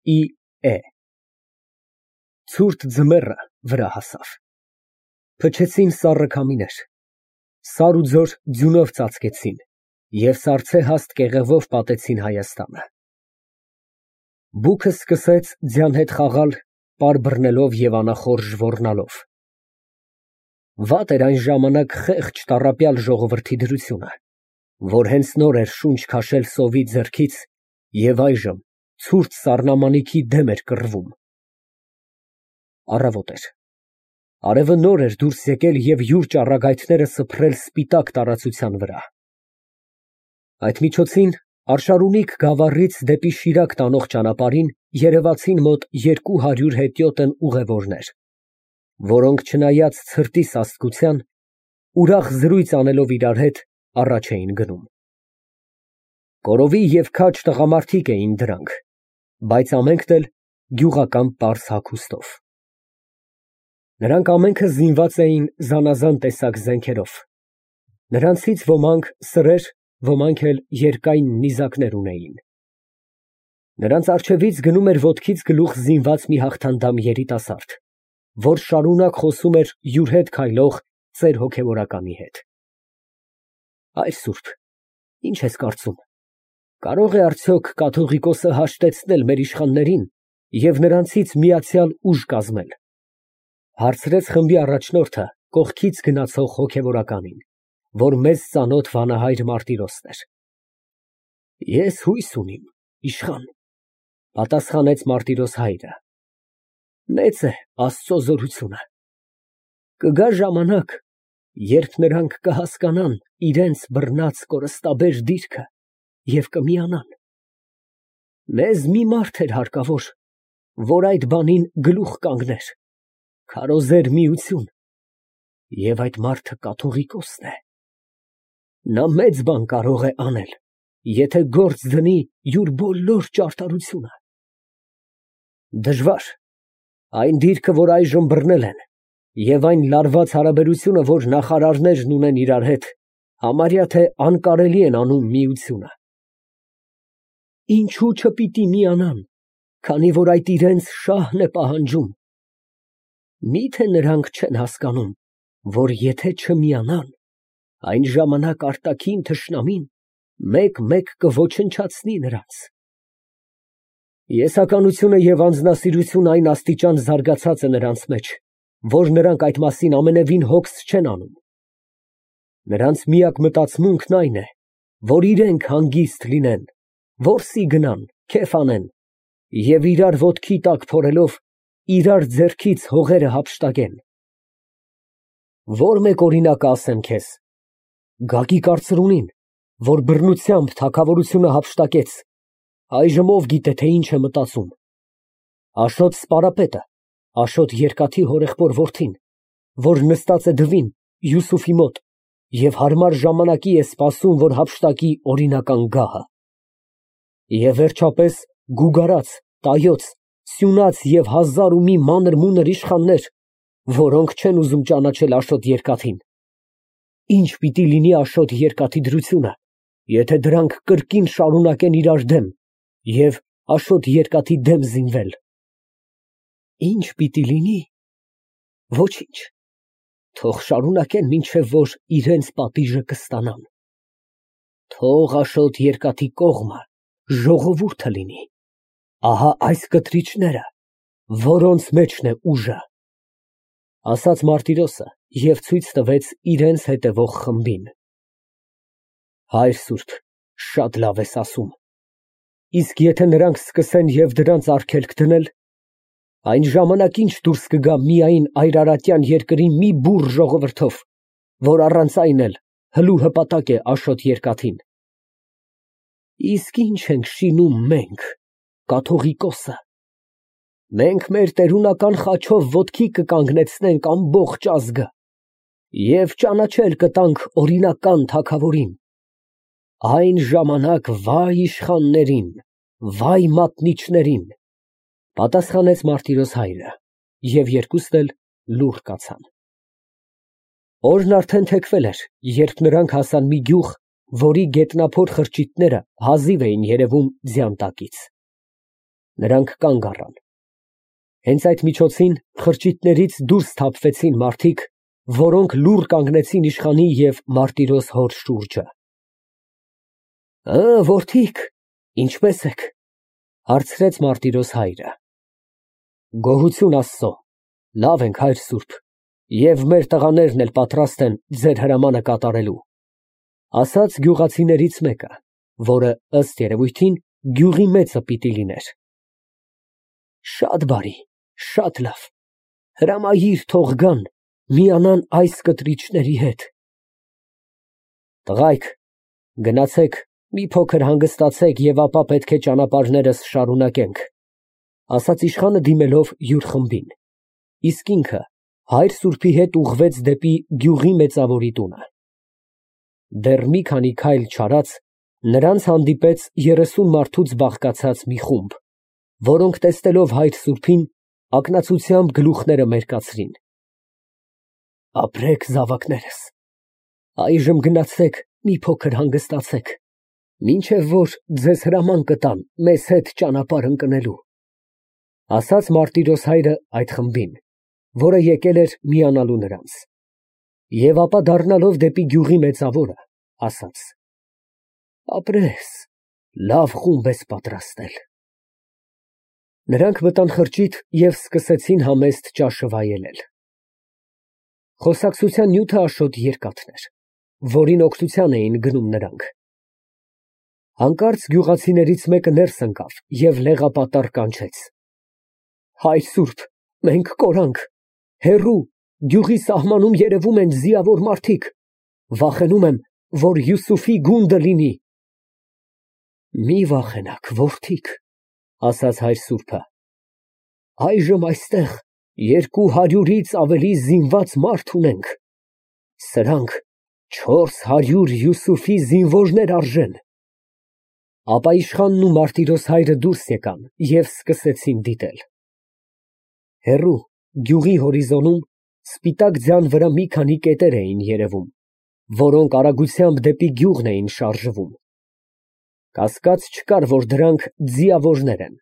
Է ցուրտ ձմեռը վրա հասավ։ Փչեցին սառը քամիներ, սար ու ձոր ձյունով ծածկեցին և սառցե հաստ կեղևով պատեցին Հայաստանը։ Բուքը սկսեց ձյան հետ խաղալ պար բռնելով և անախորժ ոռնալով։ Վատ էր այն ժամանակ խեղճ տառապյալ ժողովրդի դրությունը, որ հենց նոր էր շունչ քաշել սովի ձեռքից և այժմ ցուրտ սառնամանիքի դեմ էր կռվում։ Առավոտ էր, արևը նոր էր դուրս եկել և յուր ճառագայթները սփռել սպիտակ տարածության վրա։ Այդ միջոցին Արշարունիք գավառից դեպի Շիրակ տանող ճանապարհին երևացին մոտ 200 հետիոտն ուղևորներ, որոնք չնայած ցրտի սաստկության, ուրախ զրույց անելով իրար հետ, առաջ էին գնում։ Կորովի և քաջ տղամարդիկ էին դրանք, բայց ամենքն էլ գյուղական պարզ հագուստով։ Նրանք ամենքը զինված էին զանազան տեսակ զենքերով, նրանցից ոմանք սրեր, ոմանք էլ երկայն նիզակներ ունեին։ Նրանց առջևից գնում էր ոտքից գլուխ զինված մի հաղթանդամ երիտասարդ, որ շարունակ խոսում էր յուր հետ քայլող ծեր հոգևորականի հետ։ Հայր սուրբ, ինչ ես կարծում, կարո՞ղ է արդյոք կաթողիկոսը հաշտեցնել մեր իշխաններին և նրանցից միացյալ ուժ կազմել, հարցրեց խմբի առաջնորդը կողքից գնացող հոգևորականին, որ մեզ ծանոթ վանահայր Մարտիրոսն էր։ Ես հույս ունիմ, իշխան, պատասխանեց Մարտիրոս հայրը։ Մեծ է Աստծո զորությունը։ Կգա ժամանակ, երբ նրանք կհասկանան իրենց բռնած կորստաբեր դիրքը և կմիանան։ Մեզ մի մարդ էր հարկավոր, որ այդ բանին գլուխ կանգներ, քարոզեր միություն, և այդ մարդը կաթողիկոսն է։ Նա մեծ բան կարող է անել, եթե գործ դնի յուր բոլոր ճարտարությունը։ Դժվար, այն դիրքը, որ այժմ բռնել են, և այն լարված հարաբերությունը, որ նախարարներն ունեն իրար հետ, համարյա թե անկարելի են անում միությունը։ Ինչու չպիտի միանան, քանի որ այդ իրենց շահն է պահանջում։ Մի՞թե նրանք չեն հասկանում, որ եթե չմիանան, այն ժամանակ արտաքին թշնամին մեկ֊մեկ կոչնչացնի նրանց։ Եսականությունը և անձնասիրությունը այն աստիճան զարգացած է նրանց մեջ, որ նրանք այդ մասին ամենևին հոգս չեն անում։ Նրանց միակ մտածմունքն այն է, որ իրենք հանգիստ լինեն, որսի գնան, քեֆ անեն և իրար ոտքի տակ փորելով, իրար ձեռքից հողերը հափշտակեն։ Ո՞ր մեկ օրինակը ասեմ քեզ. Գագիկ կարծրունին, որ բռնությամբ թագավորությունը հափշտակեց, այժմ ով գիտե, թե ինչ է մտածում։ Աշոտ սպարապետը, Աշոտ երկաթի հորեղբոր որդին, որ նստած է դվին Յուսուֆի մոտ և հարմար ժամանակի է սպասում, որ հափշտակի օրինական գահը։ Եվ վերջապես գուգարած, տայոց, սյունած և հազար ու մի մանր֊մունր իշխաններ, որոնք չեն ուզում ճանաչել Աշոտ երկաթին։ Ինչ պիտի լինի Աշոտ երկաթի դրությունը, եթե դրանք կրկին շարունակեն իրար դեմ և Աշոտ երկաթի դեմ զինվել։ Ինչ պիտի լինի։ Ոչինչ, թող շարունակեն, մինչև որ իրենց պատիժը կստանան։ Թող Աշոտ երկաթի կողմը ժողովուրդը լինի։ Ահա այս կտրիչները, որոնց մեջն է ուժը, ասաց Մարտիրոսը և ցույց տվեց իրենց հետևող խմբին։ Հայր սուրբ, շատ լավ ես ասում։ Իսկ եթե նրանք սկսեն և դրանց արգելք դնել, այն ժամանակ ինչ դուրս կգա միայն Այրարատյան երկրի մի բուռ ժողովրդով, որ առանց այն էլ հլու հպատակ է Աշոտ երկաթին։ Իսկ ինչ ենք շինում մենք, կաթողիկոսը։ Մենք մեր տերունական խաչով ոտքի կկանգնեցնենք ամբողջ ազգը և ճանաչել կտանք օրինական թագավորին։ Այն ժամանակ վայ իշխաններին, վայ մատնիչներին, պատասխանեց Մարտիրոս հայրը, և երկուսն էլ լուռ կացան։ Օրն արդեն թեքվել էր, երբ նրանք հասան մի գյուղ, որի գետնափոր խրճիթները հազիվ էին երևում ձյան տակից։ Նրանք կանգ առան։ Հենց այդ միջոցին խրճիթներից դուրս թափվեցին մարդիկ, որոնք լուռ կանգնեցին իշխանի և մարտիրոս հոր շուրջը։ Որդիկ, ինչպե՞ս եք, հարցրեց մարտիրոս հայրը։ Գոհություն Աստծո, լավ ենք, հայր սուրբ, և մեր տղաներն էլ պատրաստ են ձեր հրամանը կատարելու, ասաց գյուղացիներից մեկը, որը ըստ երևույթին գյուղի մեծը պիտի լիներ։ Շատ բարի, շատ լավ, հրամայիր թող գան, միանան այս կտրիչների հետ։ Տղայք, գնացեք, մի փոքր հանգստացեք և ապա պետք է ճանապարհներս շարունակենք, ասաց իշխանը դիմելով յուր խմբին, իսկ ինքը հայր սուրբի հետ ուղղվեց դեպի գյուղի մեծավորի տունը։ Դեռ մի քանի քայլ չարած նրանց հանդիպեց 30 մարդուց բաղկացած մի խումբ, որոնք տեսնելով հայր սուրբին ակնացությամբ գլուխները մերկացրին։ Ապրեք զավակներս, այժմ գնացեք մի փոքր հանգստացեք, մինչև որ ձեզ հրաման կտան մեզ հետ ճանապարհ ընկնելու, ասաց մարտիրոս հայրը այդ խմբին, որը եկել էր միանալու նրանց, և ապա դառնալով դեպի գյուղի մեծավորը, ասաց. Ապրես, լավ խումբ ես պատրաստել։ Նրանք մտան խրճիթ և սկսեցին համեստ ճաշը վայելել։ Խոսակցության նյութը աշոտ երկաթն էր, որին օգնության էին գնում նրանք։ Հանկարծ գյուղացիներից մեկը ներս ընկավ և լեղապատառ կանչեց. Հայր սուրբ, մենք կորանք, հեռու, գյուղի սահմանում երևում են ձիավոր մարդիկ, վախենում եմ, որ Յուսուֆի գունդը լինի։ Մի վախենաք, որդիկ, ասաց հայր սուրբը, այժմ այստեղ 200-ից ավելի զինված մարդ ունենք, սրանք 400 Յուսուֆի զինվորներ արժեն։ Ապա իշխանն ու մարտիրոս հայրը դուրս եկան և սկսեցին դիտել։ Հեռու, գյուղի հորիզոնում սպիտակ ձյան վրա մի քանի կետեր էին երևում, որոնք արագությամբ դեպի գյուղն էին շարժվում։ Կասկած չկար, որ դրանք ձիավորներ են,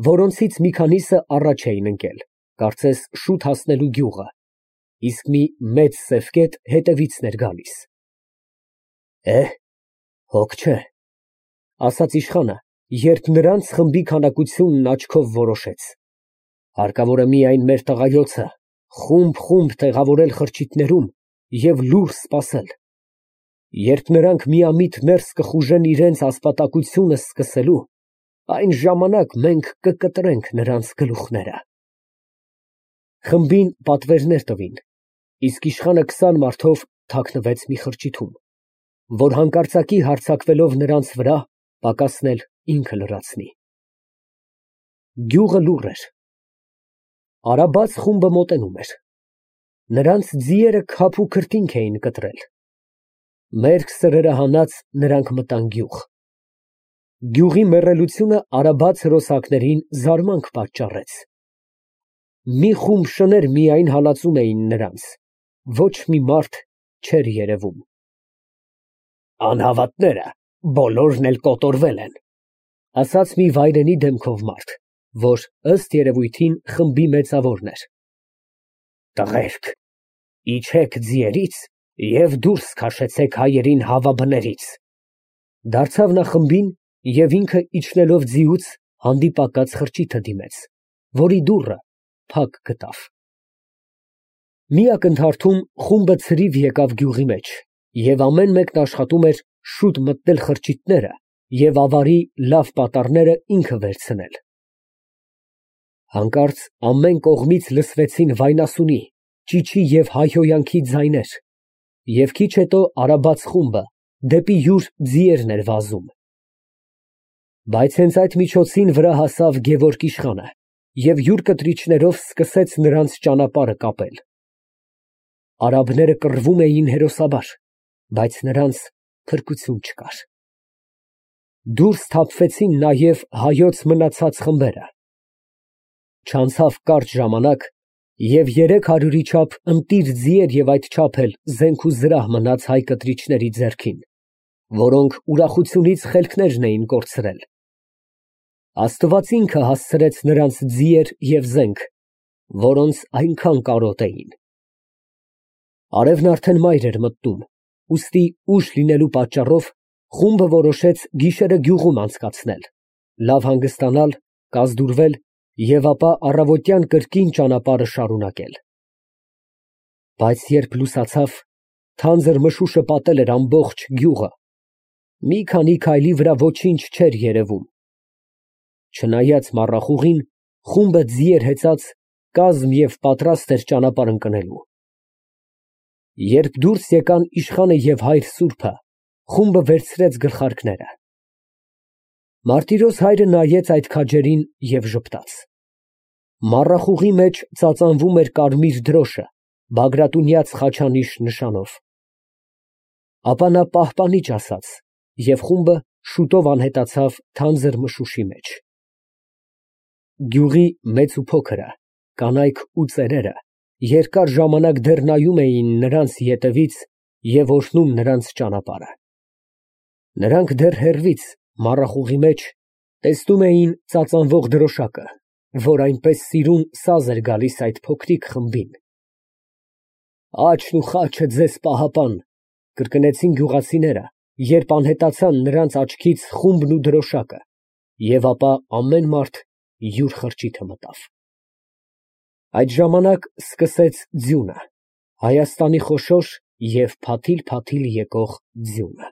որոնցից մի քանիսը առաջ էին ընկել, կարծես շուտ հասնելու գյուղը, իսկ մի մեծ սև կետ հետևիցն էր գալիս։ Հոգ չէ, ասաց իշխանը, երբ նրանց խմբի քանակությունն աչքով որոշեց։ Հարկավոր է միայն մեր տղայոցը խումբ տեղավորել խրճիթներում և լուռ սպասել։ Երբ նրանք միամիտ ներս կխուժեն իրենց ասպատակությունը սկսելու, այն ժամանակ մենք կկտրենք նրանց գլուխները։ Խմբին պատվերներ տվին, իսկ իշխանը 20 մարդով թաքնվեց մի խրճիթում, որ հանկարծակի հարձակվելով նրանց վրա, պակասնել ինքը լրացնի։ Գյուղը լուռ էր։ Արաբաց խումբը մոտենում էր։ Նրանց ձիերը քափ ու քրտինք էին կտրել։ Մերկ սրերը հանած նրանք մտան գյուղ։ Գյուղի մեռելությունը արաբաց հրոսակներին զարմանք պատճառեց։ Մի խումբ շներ միայն հալածում էին նրանց, ոչ մի մարդ չէր երևում։ Անհավատները բոլորն էլ կոտորվել են, ասաց մի վայրենի դեմքով մարդ, որ ըստ երևույթին խմբի մեծավորն էր։ Տղերք, իջեք ձիերից և դուրս քաշեցեք հայերին հավաբներից, դարձավ նա խմբին և ինքը իջնելով ձիուց հանդիպակաց խրճիթը դիմեց, որի դուռը փակ գտավ։ Մի ակնթարթում խումբը ցրիվ եկավ գյուղի մեջ, և ամեն մեկն աշխատում էր շուտ մտնել խրճիթները և ավարի լավ պատառները ինքը վերցնել։ Հանկարծ ամեն կողմից լսվեցին վայնասունի, ճիչի և հայհոյանքի ձայներ, և քիչ հետո արաբաց խումբը դեպի յուր ձիերն էր վազում։ Բայց հենց այդ միջոցին վրա հասավ Գևորգ իշխանը և յուր կտրիչներով սկսեց նրանց ճանապարհը կապել։ Արաբները կռվում էին հերոսաբար, բայց նրանց փրկություն չկար։ Դուրս թափվեցին նաև հայոց մնացած խմբերը։ Չանցավ կարճ ժամանակ, և 300-ի չափ ընտիր ձիեր և այդչափ էլ զենք ու զրահ մնաց հայ կտրիչների ձեռքին, որոնք ուրախությունից խելքներն էին կորցրել։ Աստված ինքը հասցրեց նրանց ձիեր և զենք, որոնց այնքան կարոտ էին։ Արևն արդեն մայր էր մտնում, ուստի ուշ լինելու պատճառով խումբը որոշեց գիշերը գյուղում անցկացնել, լավ հանգստանալ, կազդուրվել և ապա առավոտյան կրկին ճանապարհը շարունակել։ Բայց երբ լուսացավ, թանձր մշուշը պատել էր ամբողջ գյուղը, մի քանի քայլի վրա ոչինչ չէր երևում։ Չնայած մառախուղին, խումբը ձիեր հեծած կազմ և պատրաստ էր ճանապարհ ընկնելու։ Երբ դուրս եկան իշխանը և հայր սուրբը, խումբը վերցրեց գլխարկները։ Մարտիրոս հայրը նայեց այդ քաջերին և ժպտաց։ Մառախուղի մեջ ծածանվում էր կարմիր դրոշը Բագրատունյաց խաչանիշ նշանով։ Ապա նա պահպանիչ ասաց, և խումբը շուտով անհետացավ թանձր մշուշի մեջ։ Գյուղի մեծ ու փոքրը, կանայք ու ծերերը երկար ժամանակ դեռ նայում էին նրանց ետևից և օրհնում նրանց ճանապարհը։ Նրանք դեռ հեռվից, մառախուղի մեջ, տեսնում էին ծածանվող դրոշակը, որ այնպես սիրուն սազ էր գալիս այդ փոքրիկ խմբին։ «Աչքն ու խաչը ձեզ պահապան», կրկնեցին գյուղացիները, երբ անհետացան նրանց աչքից խումբն ու դրոշակը, և ապա ամեն մարդ յուր խրճիթը մտավ։ Այդ ժամանակ սկսեց ձյունը, Հայաստանի խոշոր և փաթիլ֊փաթիլ եկող ձյունը։